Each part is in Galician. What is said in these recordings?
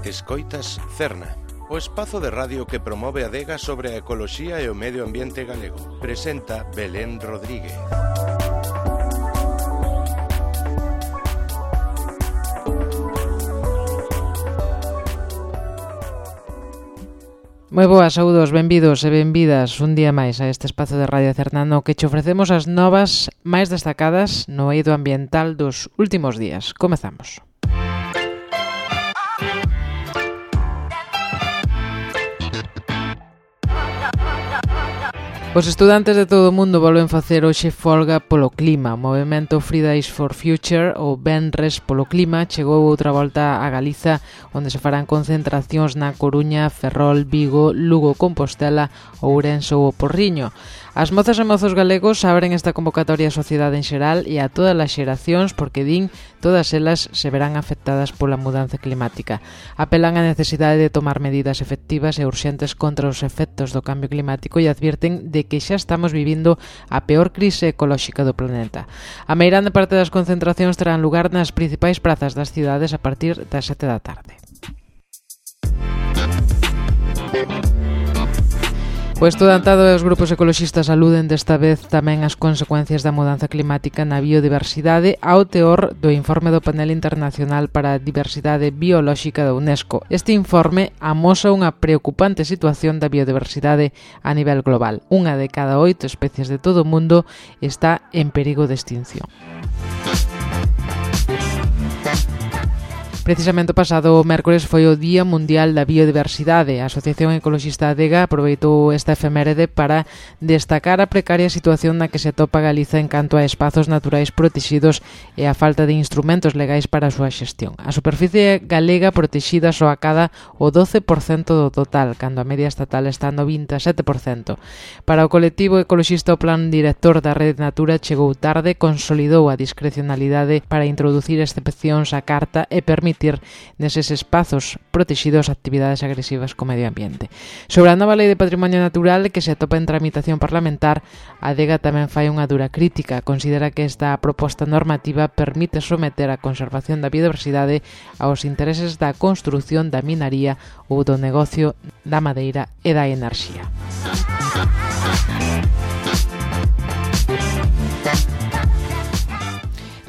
Escoitas Cerna, o espazo de radio que promove a adega sobre a ecoloxía e o medio ambiente galego. Presenta Belén Rodríguez. Moi boas, saúdos, benvidos e benvidas un día máis a este espazo de Radio Cerna no que che ofrecemos as novas máis destacadas no eido ambiental dos últimos días. Comezamos. Os estudantes de todo o mundo volven facer hoxe folga polo clima. O movemento Fridays for Future, ou Venres polo clima, chegou outra volta a Galiza, onde se farán concentracións na Coruña, Ferrol, Vigo, Lugo, Compostela, Ourense ou o Porriño. As mozas e mozos galegos abren esta convocatoria á sociedade en xeral e a todas as xeracións porque din todas elas se verán afectadas pola mudanza climática. Apelan á necesidade de tomar medidas efectivas e urxentes contra os efectos do cambio climático e advirten de que xa estamos vivindo a peor crise ecolóxica do planeta. A meirande parte das concentracións terán lugar nas principais prazas das cidades a partir das 7 da tarde. O estudantado e os grupos ecoloxistas aluden desta vez tamén as consecuencias da mudanza climática na biodiversidade ao teor do informe do Panel Internacional para a Diversidade Biolóxica da UNESCO. Este informe amosa unha preocupante situación da biodiversidade a nivel global. Unha de cada 8 especies de todo o mundo está en perigo de extinción. Precisamente o pasado mércores foi o Día Mundial da Biodiversidade. A Asociación Ecoloxista Adega aproveitou esta efeméride para destacar a precaria situación na que se atopa Galiza en canto a espazos naturais protexidos e a falta de instrumentos legais para a súa xestión. A superficie galega protexida só acada o 12% do total, cando a media estatal está no 27%. Para o colectivo ecoloxista, o plan director da Rede Natura chegou tarde, consolidou a discrecionalidade para introducir excepcións á carta e permitir neses espazos protexidos actividades agresivas co medio ambiente. Sobre a nova Lei de Patrimonio Natural que se atopa en tramitación parlamentar, a Adega tamén fai unha dura crítica. Considera que esta proposta normativa permite someter a conservación da biodiversidade aos intereses da construción da minaría ou do negocio da madeira e da enerxía.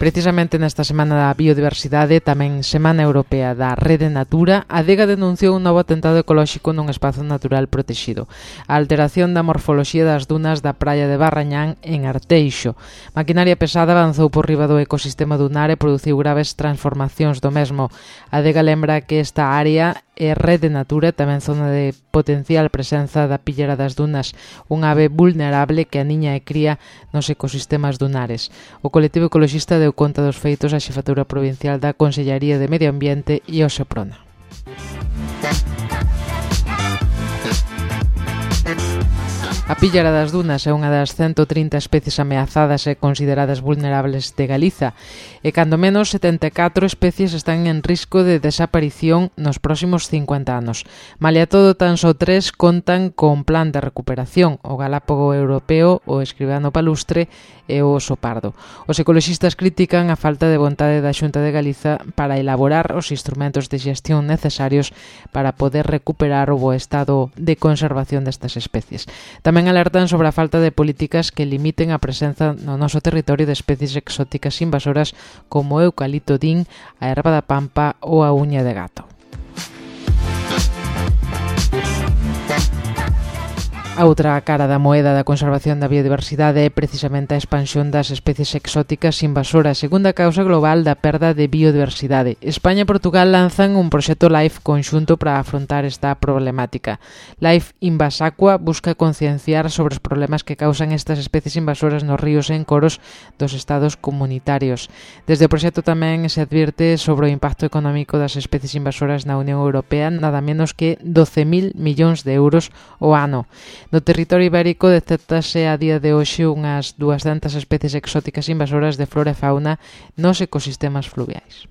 Precisamente nesta Semana da Biodiversidade, tamén Semana Europea da Rede Natura, a Adega denunciou un novo atentado ecolóxico nun espazo natural protexido. A alteración da morfoloxía das dunas da praia de Barrañán en Arteixo. Maquinaria pesada avanzou por riba do ecosistema dunar e produciu graves transformacións do mesmo. A Adega lembra que esta área é Rede Natura, tamén zona de potencial presenza da pillera das dunas, unha ave vulnerable que aniña e cría nos ecosistemas dunares. O colectivo ecoloxista deu conta dos feitos á Xefatura Provincial da Consellaría de Medio Ambiente e ao Seprona. A píllera das dunas é unha das 130 especies ameazadas e consideradas vulnerables de Galiza e cando menos 74 especies están en risco de desaparición nos próximos 50 anos. Malia todo, tan só 3 contan con plan de recuperación, o galápago europeo, o escribano palustre e o oso pardo. Os ecoloxistas critican a falta de vontade da Xunta de Galiza para elaborar os instrumentos de xestión necesarios para poder recuperar o bo estado de conservación destas especies. Tamén alertan sobre a falta de políticas que limiten a presenza no noso territorio de especies exóticas invasoras como o eucalipto din, a erva da pampa ou a uña de gato. A outra cara da moeda da conservación da biodiversidade é precisamente a expansión das especies exóticas invasoras, segunda causa global da perda de biodiversidade. España e Portugal lanzan un proxecto LIFE conxunto para afrontar esta problemática. LIFE Invasacua busca concienciar sobre os problemas que causan estas especies invasoras nos ríos e encoros dos estados comunitarios. Desde o proxecto tamén se advirte sobre o impacto económico das especies invasoras na Unión Europea, nada menos que 12.000 millóns de euros ao ano. No territorio ibérico detectase a día de hoxe unhas 200 especies exóticas invasoras de flora e fauna nos ecosistemas fluviais.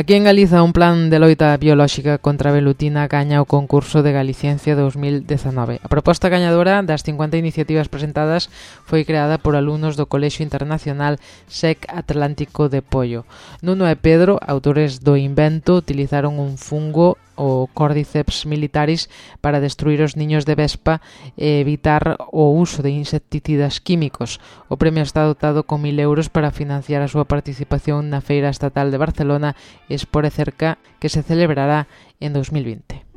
Aquí en Galiza, un plan de loita biolóxica contra a velutina gaña o concurso de Galiciencia 2019. A proposta gañadora das 50 iniciativas presentadas foi creada por alumnos do Colexio Internacional SEC Atlántico de Pollo. Nuno e Pedro, autores do invento, utilizaron un fungo, o Cordyceps militaris, para destruir os niños de vespa e evitar o uso de insecticidas químicos. O premio está dotado con 1.000 euros para financiar a súa participación na Feira Estatal de Barcelona Espore Cerca, que se celebrará en 2020.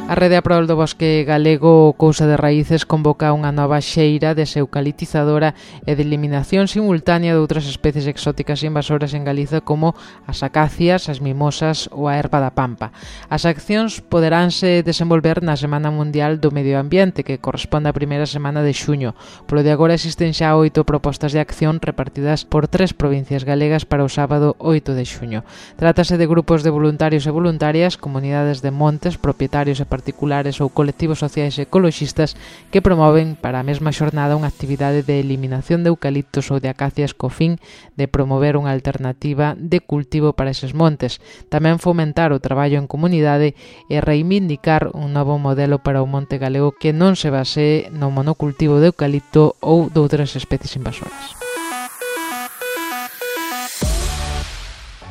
A Rede a Prol do Bosque Galego Cousa de Raíces convoca unha nova xeira deseucalitizadora e de eliminación simultánea de outras especies exóticas e invasoras en Galiza como as acacias, as mimosas ou a erva da pampa. As accións poderánse desenvolver na Semana Mundial do Medio Ambiente, que corresponde á primeira semana de xuño. Polo de agora existen xa 8 propostas de acción repartidas por 3 provincias galegas para o sábado 8 de xuño. Trátase de grupos de voluntarios e voluntarias, comunidades de montes, propietarios e particulares ou colectivos sociais e ecoloxistas que promoven para a mesma xornada unha actividade de eliminación de eucaliptos ou de acacias co fin de promover unha alternativa de cultivo para eses montes, tamén fomentar o traballo en comunidade e reivindicar un novo modelo para o monte galego que non se basee no monocultivo de eucalipto ou doutras especies invasoras.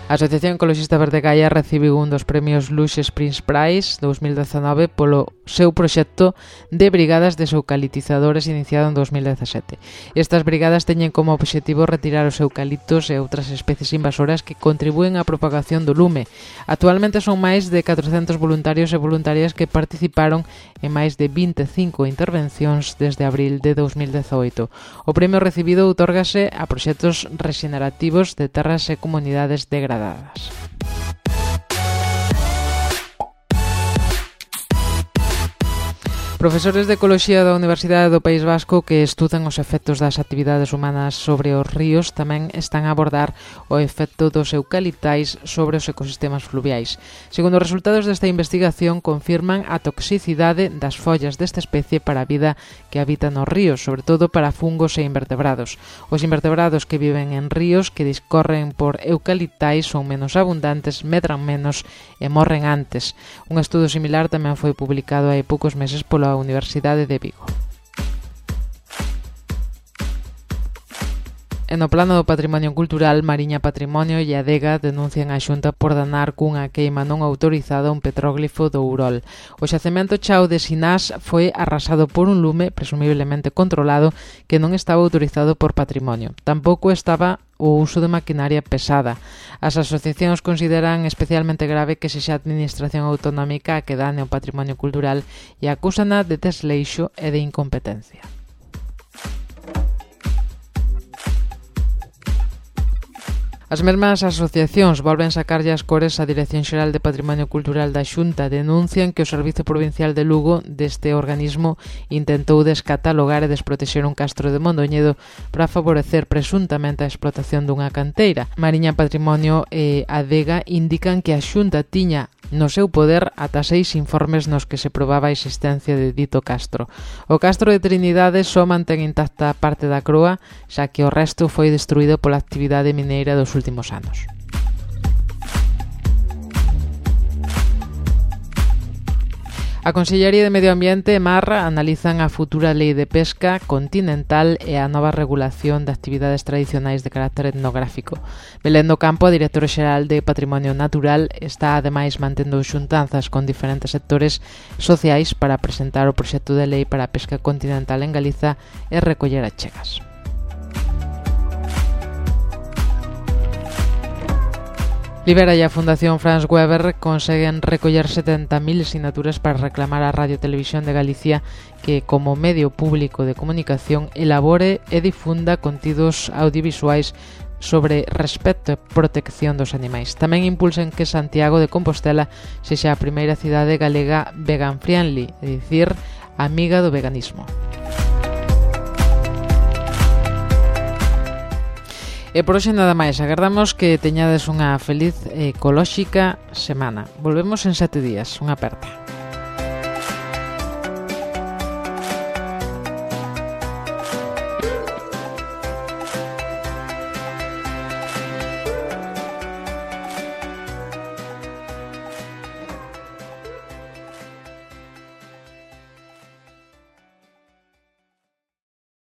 A Asociación Ecoloxista Verde Gaia recibiu un dos premios Luxe Prince Prize 2019 polo seu proxecto de brigadas deseucalitizadores iniciado en 2017. Estas brigadas teñen como obxectivo retirar os eucaliptos e outras especies invasoras que contribúen á propagación do lume. Actualmente son máis de 400 voluntarios e voluntarias que participaron en máis de 25 intervencións desde abril de 2018. O premio recibido outórgase a proxectos rexenerativos de terras e comunidades degradadas. Profesores de Ecoloxía da Universidade do País Vasco que estudan os efectos das actividades humanas sobre os ríos tamén están a abordar o efecto dos eucaliptais sobre os ecosistemas fluviais. Segundo os resultados desta investigación, confirman a toxicidade das follas desta especie para a vida que habita nos ríos, sobre todo para fungos e invertebrados. Os invertebrados que viven en ríos que discorren por eucaliptais son menos abundantes, medran menos e morren antes. Un estudo similar tamén foi publicado hai poucos meses pola Universidade de Vigo. E no plano do patrimonio cultural, Mariña Patrimonio e Adega denuncian a Xunta por danar cunha queima non autorizada un petróglifo do Urol. O xacemento Chao de Sinás foi arrasado por un lume presumiblemente controlado que non estaba autorizado por Patrimonio. Tampouco estaba o uso de maquinaria pesada. As asociacións consideran especialmente grave que sexa a administración autonómica a que dane o patrimonio cultural e acúsana de desleixo e de incompetencia. As mesmas asociacións volven sacarlle as cores á Dirección Xeral de Patrimonio Cultural da Xunta. Denuncian que o Servizo Provincial de Lugo deste organismo intentou descatalogar e desprotexer un castro de Mondoñedo para favorecer presuntamente a explotación dunha canteira. Mariña Patrimonio e Adega indican que a Xunta tiña no seu poder ata 6 informes nos que se probaba a existencia de dito castro. O castro de Trinidade só mantén intacta a parte da croa, xa que o resto foi destruído pola actividade mineira dos últimos anos. A Consellería de Medio Ambiente e Mar analizan a futura lei de pesca continental e a nova regulación de actividades tradicionais de carácter etnográfico. Belén do Campo, a directora xeral de Patrimonio Natural, está ademais mantendo xuntanzas con diferentes sectores sociais para presentar o proxecto de lei para a pesca continental en Galiza e recoller achegas. Libera e a Fundación Franz Weber conseguen recoller 70.000 sinaturas para reclamar a Radio Televisión de Galicia que, como medio público de comunicación, elabore e difunda contidos audiovisuais sobre respecto e protección dos animais. Tamén impulsen que Santiago de Compostela sexa a primeira cidade galega vegan friendly, é dicir, amiga do veganismo. E por hoxe nada máis, agardamos que teñades unha feliz e ecolóxica semana. Volvemos en 7 días, unha aperta.